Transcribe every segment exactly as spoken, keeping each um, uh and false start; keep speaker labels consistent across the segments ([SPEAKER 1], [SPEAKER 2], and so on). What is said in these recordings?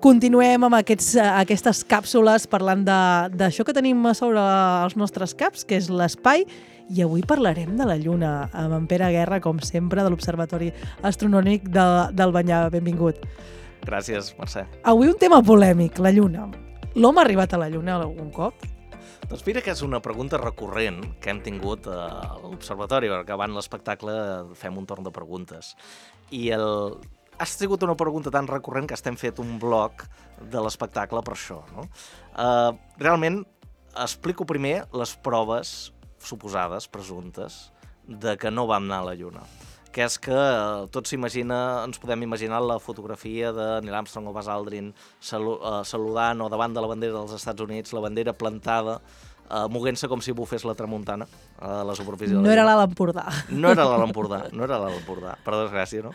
[SPEAKER 1] continuem amb aquests, aquestes càpsules parlant d'això que tenim a sobre els nostres caps, que és l'espai, i avui parlarem de la Lluna, amb en Pere Guerra, com sempre, de l'Observatori Astronòmic de, d'Albanyà. Benvingut.
[SPEAKER 2] Gràcies, Mercè.
[SPEAKER 1] Avui un tema polèmic, la Lluna. L'home ha arribat a la Lluna algun cop?
[SPEAKER 2] Doncs mira que és una pregunta recurrent que hem tingut a l'Observatori, perquè abans l'espectacle fem un torn de preguntes. I el... ha sigut una pregunta tan recurrent que estem fet un bloc de l'espectacle per això, no? Uh, realment, explico primer les proves suposades, presumptes, de que no vam anar a la Lluna. Que és que uh, tots s'imagina, ens podem imaginar la fotografia de Neil Armstrong o Buzz Aldrin salu uh, saludant o davant de la bandera dels Estats Units, la bandera plantada, uh, moguent-se com si bufés la tramuntana a la superfície de la
[SPEAKER 1] No
[SPEAKER 2] Lluna.
[SPEAKER 1] era l'Alt Empordà.
[SPEAKER 2] No era l'Alt Empordà, no era l'Alt Empordà, per desgràcia, no?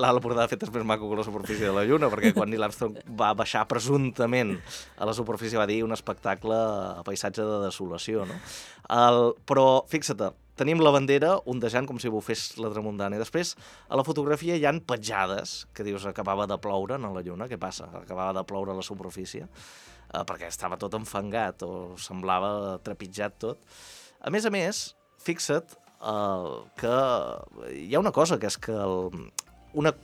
[SPEAKER 2] L'Alt Empordà de fet és més maco que la superfície de la Lluna, perquè quan Neil Armstrong va baixar presumptament a la superfície va dir un espectacle a paisatge de desolació, no? El, però, fixa't, tenim la bandera ondejant com si bufés la tramuntana. I després, a la fotografia hi han petjades, que dius, acabava de ploure a la Lluna. Què passa? Acabava de ploure a la superfície, eh, perquè estava tot enfangat o semblava trepitjat tot. A més a més, fixa't eh, que hi ha una cosa, que és que el, una,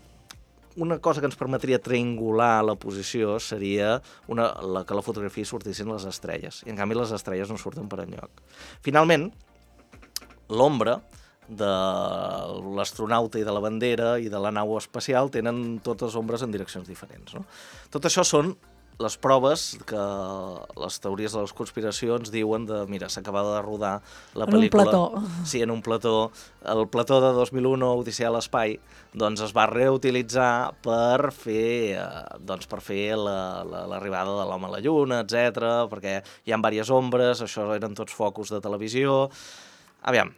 [SPEAKER 2] una cosa que ens permetria triangular la posició seria una, la, que la fotografia sortissin les estrelles. I en canvi les estrelles no surten per enlloc. Finalment, l'ombra de l'astronauta i de la bandera i de la nau espacial tenen totes ombres en direccions diferents, no? Tot això són les proves que les teories de les conspiracions diuen de, mira, s'acabava de rodar la pel·lícula...
[SPEAKER 1] En un plató.
[SPEAKER 2] Sí, en un plató. El plató de dos mil u, Odissea a l'espai, doncs es va reutilitzar per fer, eh, doncs per fer l'arribada la, la, de l'home a la Lluna, etcètera, perquè hi ha diverses ombres, això eren tots focus de televisió... Aviam,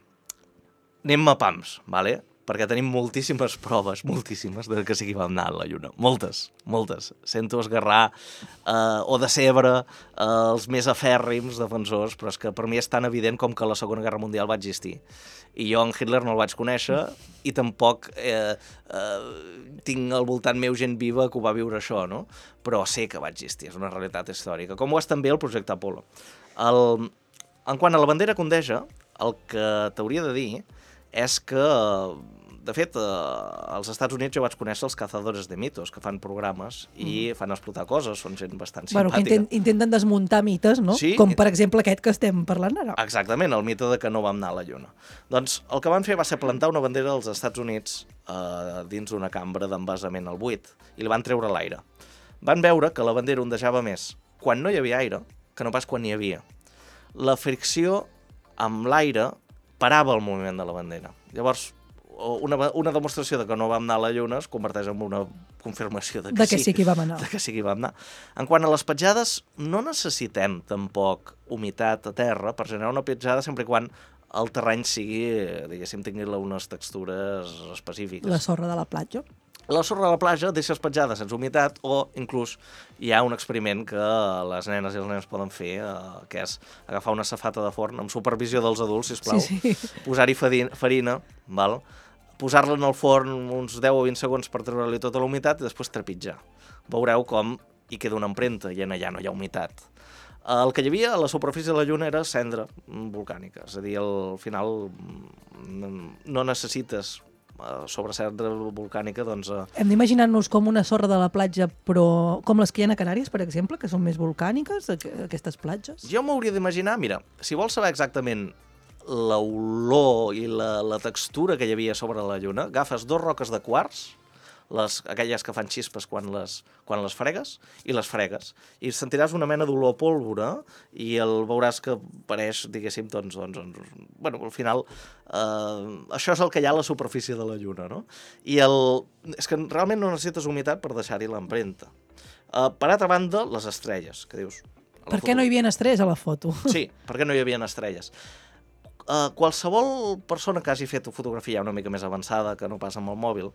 [SPEAKER 2] anem a pams, vale? Perquè tenim moltíssimes proves, moltíssimes, de que sí que vam anar a la Lluna. Moltes, moltes. Sento esgarrar eh, o decebre eh, els més afèrrims defensors, però és que per mi és tan evident com que la Segona Guerra Mundial va existir. I jo en Hitler no el vaig conèixer i tampoc eh, eh, tinc al voltant meu gent viva que ho va viure això, no? Però sé que va existir, és una realitat històrica. Com ho és també el projecte Apollo. El, en quant a la bandera que ondeja, el que t'hauria de dir és que, de fet, als Estats Units jo vaig conèixer els Cazadores de Mitos, que fan programes i fan explotar coses, són gent bastant
[SPEAKER 1] bueno,
[SPEAKER 2] simpàtica.
[SPEAKER 1] Que intent, intenten desmuntar mites, no?
[SPEAKER 2] Sí.
[SPEAKER 1] Com, per exemple, aquest que estem parlant ara.
[SPEAKER 2] Exactament, el mite de que no vam anar a la Lluna. Doncs el que van fer va ser plantar una bandera als Estats Units eh, dins d'una cambra d'envasament al buit i la van treure a l'aire. Van veure que la bandera ondejava més quan no hi havia aire que no pas quan n'hi havia. La fricció amb l'aire parava el moviment de la bandera. Llavors, una, una demostració de que no vam anar a la Lluna es converteix en una confirmació de que,
[SPEAKER 1] de que sí, sí que hi vam anar.
[SPEAKER 2] De que sí que hi vam anar. En quant a les petjades, no necessitem tampoc humitat a terra per generar una petjada sempre i quan el terreny sigui, diguéssim, tingui unes textures específiques.
[SPEAKER 1] La sorra de la platja.
[SPEAKER 2] La sorra de la platja deixes petjada sense humitat o inclús hi ha un experiment que les nenes i els nens poden fer, eh, que és agafar una safata de forn amb supervisió dels adults, sisplau,
[SPEAKER 1] sí, sí.
[SPEAKER 2] posar-hi farina, val? Posar-la en el forn uns deu o vint segons per treure-li tota la humitat i després trepitjar. Veureu com hi queda una empremta i allà no hi ha humitat. El que hi havia a la superfície de la Lluna era cendra volcànica, és a dir, al final no necessites sobre cendra volcànica, doncs... Eh...
[SPEAKER 1] Hem d'imaginar-nos com una sorra de la platja, però com les que hi ha a Canàries, per exemple, que són més volcàniques, aquestes platges?
[SPEAKER 2] Jo m'hauria d'imaginar, mira, si vols saber exactament l'olor i la, la textura que hi havia sobre la Lluna, agafes dos roques de quars, les, aquelles que fan xispes quan les, quan les fregues, i les fregues. I sentiràs una mena d'olor pólvora i el veuràs que pareix, diguéssim, doncs, doncs, doncs bueno, al final, eh, això és el que hi ha a la superfície de la Lluna, no? I el, és que realment no necessites humitat per deixar-hi l'empremta. Eh, per altra banda, les estrelles, que dius...
[SPEAKER 1] Per què no hi havia estrelles a la foto?
[SPEAKER 2] Sí, perquè no hi havia estrelles. Uh, qualsevol persona que hagi fet fotografia una mica més avançada que no pas amb el mòbil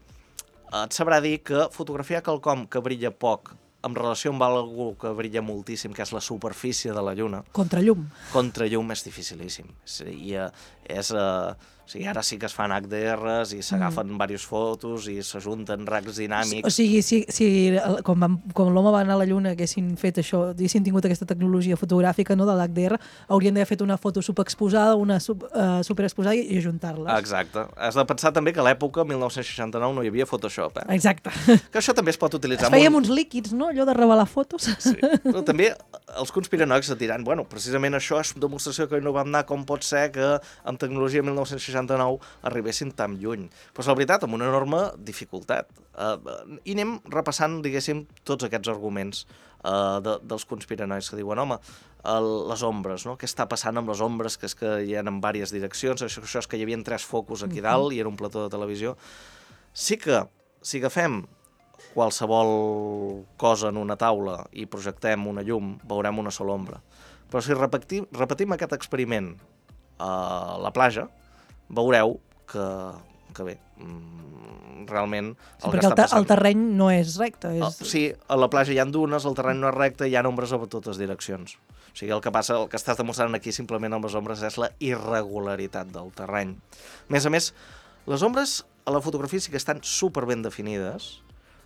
[SPEAKER 2] et sabrà dir que fotografiar quelcom que brilla poc en relació amb algú que brilla moltíssim, que és la superfície de la Lluna...
[SPEAKER 1] Contrallum.
[SPEAKER 2] Contrallum és dificilíssim. I, uh, és... Eh, o sigui, ara sí que es fan H D Rs i s'agafen mm. diverses fotos i s'ajunten racs dinàmics.
[SPEAKER 1] O sigui, si, si com, vam, com l'home va anar a la Lluna haguessin fet això, haguessin tingut aquesta tecnologia fotogràfica, no, de l'H D R, haurien d'haver fet una foto superexposada, una sub, uh, superexposada i ajuntar-les.
[SPEAKER 2] Exacte. Has de pensar també que a l'època, mil nou-cents seixanta-nou, no hi havia Photoshop. Eh?
[SPEAKER 1] Exacte.
[SPEAKER 2] Que això també es pot utilitzar.
[SPEAKER 1] Es fèiem
[SPEAKER 2] un...
[SPEAKER 1] uns líquids, no?, allò de revelar fotos.
[SPEAKER 2] Sí. Però també els conspiranoics et diran, bueno, precisament això és demostració que no vam anar, com pot ser que amb tecnologia mil nou-cents seixanta-nou arribessin tan lluny. Però la veritat, amb una enorme dificultat. Uh, I anem repassant, diguéssim, tots aquests arguments uh, de, dels conspiranoics que diuen, home, el, les ombres, no? Què està passant amb les ombres, que és que hi ha en diverses direccions, això, això és que hi havia tres focus aquí dalt i era un plató de televisió. Sí que, si agafem qualsevol cosa en una taula i projectem una llum, veurem una sola ombra. Però si repetim, repetim aquest experiment a la platja, veureu que, que bé, realment...
[SPEAKER 1] Sí, perquè el, el terreny no és recte. És...
[SPEAKER 2] Sí, a la platja hi ha dunes, el terreny no és recte, hi ha ombres a totes direccions. O sigui, el que passa, el que estàs demostrant aquí simplement amb les ombres és la irregularitat del terreny. A més a més, les ombres a la fotografia sí que estan super ben definides.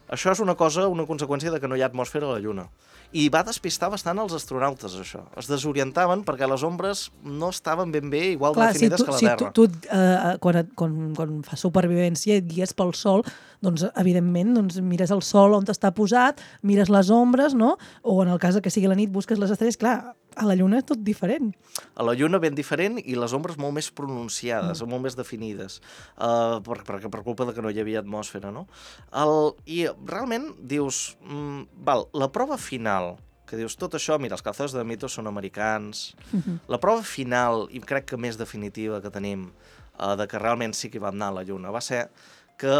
[SPEAKER 2] Això és una cosa, una conseqüència de que no hi ha atmosfera a la Lluna. I va despistar bastant els astronautes, això. Es desorientaven perquè les ombres no estaven ben bé igual Clar, definides si tu, que la
[SPEAKER 1] si
[SPEAKER 2] Terra.
[SPEAKER 1] Si tu, tu eh, quan, quan, quan fas supervivència i et guies pel Sol, doncs, evidentment, doncs, mires el Sol on està posat, mires les ombres, no? O en el cas que sigui la nit, busques les estrelles. Clar, a la Lluna és tot diferent.
[SPEAKER 2] A la Lluna ben diferent i les ombres molt més pronunciades, mm. molt més definides, uh, per, per, per culpa de que no hi havia atmosfera, no? El, I realment dius, mm, val, la prova final, que dius tot això, mira, els cazadors de mitos són americans, mm-hmm. la prova final, i crec que més definitiva que tenim, uh, de que realment sí que hi vam anar a la Lluna, va ser que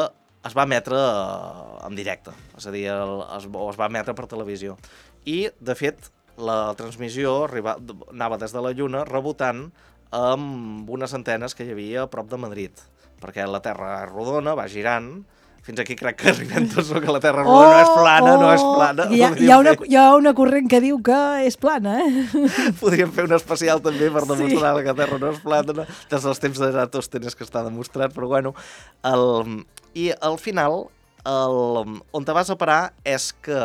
[SPEAKER 2] es va emetre uh, en directe, és a dir, el, es, o es va emetre per televisió. I, de fet, la transmissió arriba, anava des de la Lluna rebotant amb unes antenes que hi havia a prop de Madrid, perquè la Terra és rodona, va girant. Fins aquí crec que arribem tots, que la Terra rodona oh, no és plana, oh, no és plana.
[SPEAKER 1] Hi ha, hi, ha una, hi ha una corrent que diu que és plana, eh?
[SPEAKER 2] Podríem fer un especial també per demostrar sí. que la Terra no és plana, no? Des dels temps de Eratòstenes que està demostrat, però bueno. El, I al final, el, on te vas a parar és que,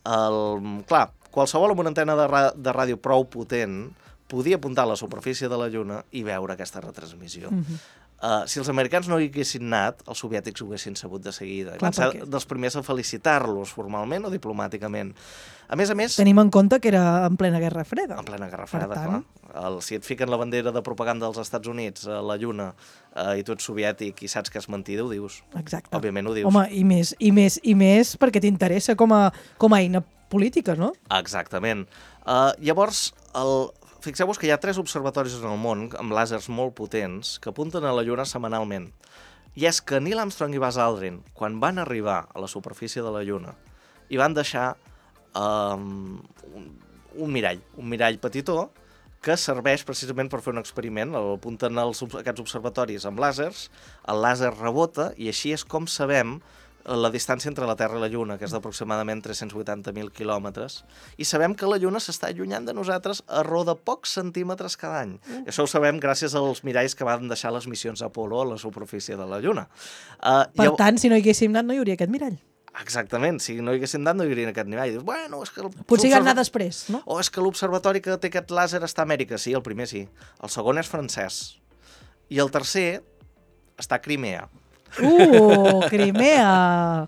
[SPEAKER 2] el, clar, qualsevol amb una antena de, ra de ràdio prou potent podia apuntar a la superfície de la Lluna i veure aquesta retransmissió. Mm-hmm. uh, si els americans no hi haguessin anat, els soviètics ho haguessin sabut de seguida. Clar, van ser perquè... dels primers a felicitar-los formalment o diplomàticament. A més a més...
[SPEAKER 1] Tenim en compte que era en plena Guerra Freda.
[SPEAKER 2] En plena Guerra Freda, tant... clar. El, si et fiquen la bandera de propaganda dels Estats Units a la Lluna uh, i tu ets soviètic i saps que és mentida, ho dius.
[SPEAKER 1] Exacte.
[SPEAKER 2] Òbviament ho dius.
[SPEAKER 1] Home, i més, i més, i més perquè t'interessa com, a, com a eina política, no?
[SPEAKER 2] Exactament. Uh, llavors, el... fixeu-vos que hi ha tres observatoris en el món amb làsers molt potents que apunten a la Lluna setmanalment. I és que Neil Armstrong i Buzz Aldrin, quan van arribar a la superfície de la Lluna, hi van deixar um, un, un mirall, un mirall petitó, que serveix precisament per fer un experiment. Apunten els, aquests observatoris amb làsers, el làser rebota i així és com sabem la distància entre la Terra i la Lluna, que és d'aproximadament tres-cents vuitanta mil quilòmetres, i sabem que la Lluna s'està allunyant de nosaltres a raó de pocs centímetres cada any. Mm. I això ho sabem gràcies als miralls que van deixar les missions Apolo a la superfície de la Lluna. Uh,
[SPEAKER 1] per llavors... tant, si no hi haguéssim anat, no hi hauria aquest mirall.
[SPEAKER 2] Exactament, si no hi haguéssim anat, no hi hauria aquest mirall. Dius, bueno, és que
[SPEAKER 1] potser hi ha anar després, no?
[SPEAKER 2] O és que l'observatori que té aquest làser està a Amèrica. Sí, el primer sí. El segon és francès. I el tercer està a Crimea.
[SPEAKER 1] Uh, Crimea!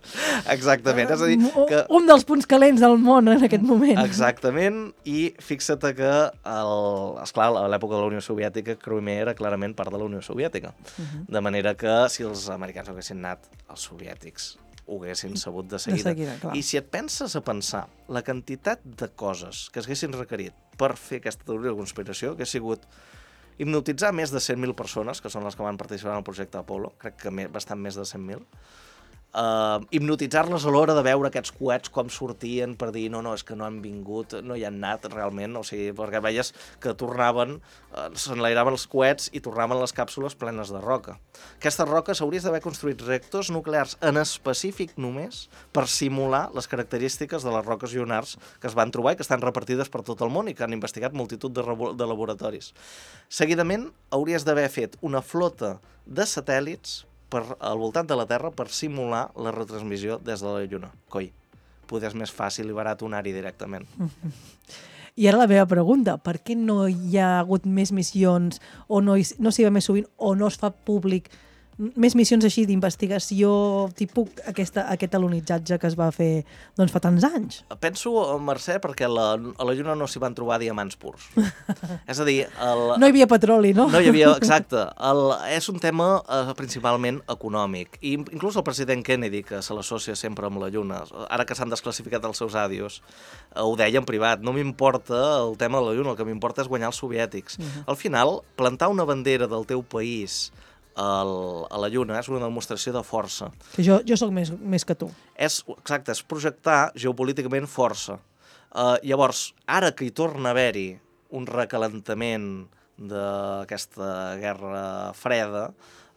[SPEAKER 2] Exactament, és a dir... Que...
[SPEAKER 1] Un dels punts calents del món en aquest moment.
[SPEAKER 2] Exactament, i fixa't que, el... esclar, a l'època de la Unió Soviètica, Crimea era clarament part de la Unió Soviètica. Uh-huh. De manera que, si els americans haguessin anat, els soviètics ho haguessin sabut de seguida.
[SPEAKER 1] De seguida, clar.
[SPEAKER 2] I si et penses a pensar la quantitat de coses que es haguessin requerit per fer aquesta teoria de conspiració, que ha sigut hipnotitzar més de cent mil persones, que són les que van participar en el projecte Apolo, crec que bastant més de cent mil, Uh, hipnotitzar-les a l'hora de veure aquests coets com sortien per dir no, no, és que no han vingut, no hi han anat realment, o sigui, perquè veies que tornaven, uh, s'enlairaven els coets i tornaven les càpsules plenes de roca. Aquestes roques hauries d'haver construït reactors nuclears en específic només per simular les característiques de les roques lunars que es van trobar i que estan repartides per tot el món i que han investigat multitud de, de laboratoris. Seguidament, hauries d'haver fet una flota de satèl·lits per, al voltant de la Terra per simular la retransmissió des de la Lluna. Coi, poder és més fàcil i barat anar-hi directament.
[SPEAKER 1] I ara la meva pregunta, per què no hi ha hagut més missions o no, hi, no s'hi va més sovint o no es fa públic més missions així d'investigació, tipus aquesta, aquest alunitzatge que es va fer doncs, fa tants anys?
[SPEAKER 2] Penso, Mercè, perquè la, a la Lluna no s'hi van trobar diamants purs. És a dir... El,
[SPEAKER 1] no hi havia petroli, no?
[SPEAKER 2] No hi havia, exacte. El, és un tema eh, principalment econòmic. I inclús el president Kennedy, que se l'associa sempre amb la Lluna, ara que s'han desclassificat els seus àdios, eh, ho deia en privat, no m'importa el tema de la Lluna, el que m'importa és guanyar els soviètics. Uh-huh. Al final, plantar una bandera del teu país El, a la Lluna és una demostració de força.
[SPEAKER 1] Que jo, jo sóc més, més que tu.
[SPEAKER 2] És, exacte, és projectar geopolíticament força. Uh, llavors, ara que hi torna a haver-hi un recalentament d'aquesta guerra freda,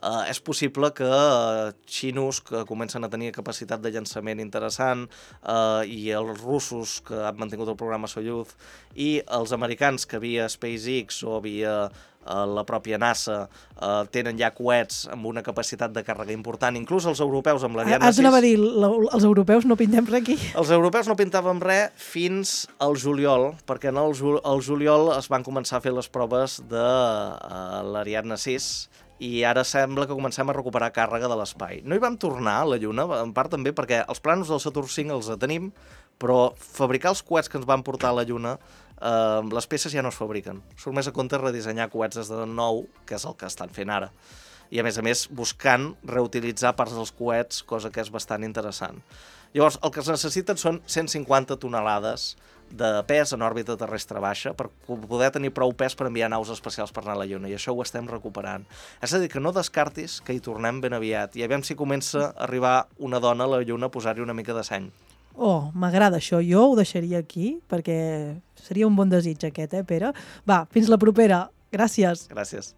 [SPEAKER 2] uh, és possible que uh, xinos que comencen a tenir capacitat de llançament interessant uh, i els russos que han mantingut el programa Soyuz i els americans que via SpaceX o via Uh, la pròpia NASA uh, tenen ja coets amb una capacitat de càrrega important, inclús els europeus amb l'Ariane sis.
[SPEAKER 1] Has anava a dir, els europeus no pintem res aquí?
[SPEAKER 2] Els europeus no pintàvem res fins al juliol, perquè en el, ju el juliol es van començar a fer les proves de uh, l'Ariane sis i ara sembla que comencem a recuperar càrrega de l'espai. No hi vam tornar a la Lluna, en part també perquè els plànols del Saturn cinc els tenim, però fabricar els coets que ens van portar a la Lluna, Uh, les peces ja no es fabriquen. Surt més a compte redissenyar coets des de nou, que és el que estan fent ara. I a més a més buscant reutilitzar parts dels coets, cosa que és bastant interessant. Llavors, el que es necessiten són cent cinquanta tonelades de pes en òrbita terrestre baixa per poder tenir prou pes per enviar naus espacials per anar a la Lluna, i això ho estem recuperant. És a dir, que no descartis que hi tornem ben aviat, i aviam si comença a arribar una dona a la Lluna a posar-hi una mica de seny.
[SPEAKER 1] Oh, m'agrada això. Jo ho deixaria aquí, perquè seria un bon desig aquest, eh, Pere? Va, fins la propera. Gràcies.
[SPEAKER 2] Gràcies.